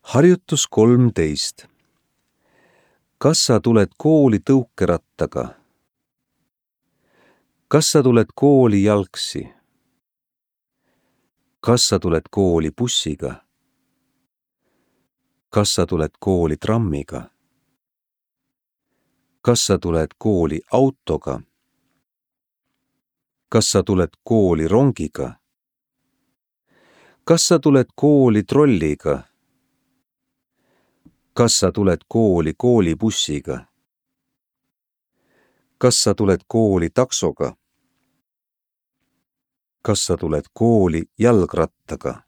Harjutus 13. Kas sa tuled kooli tõukerattaga? Kas sa tuled kooli jalgsi? Kas sa tuled kooli bussiga? Kas sa tuled kooli trammiga? Kas sa tuled kooli autoga? Kas sa tuled kooli rongiga? Kas sa tuled kooli trolliga? Kas sa tuled kooli koolibussiga? Kas sa tuled kooli taksoga? Kas sa tuled kooli jalgrattaga?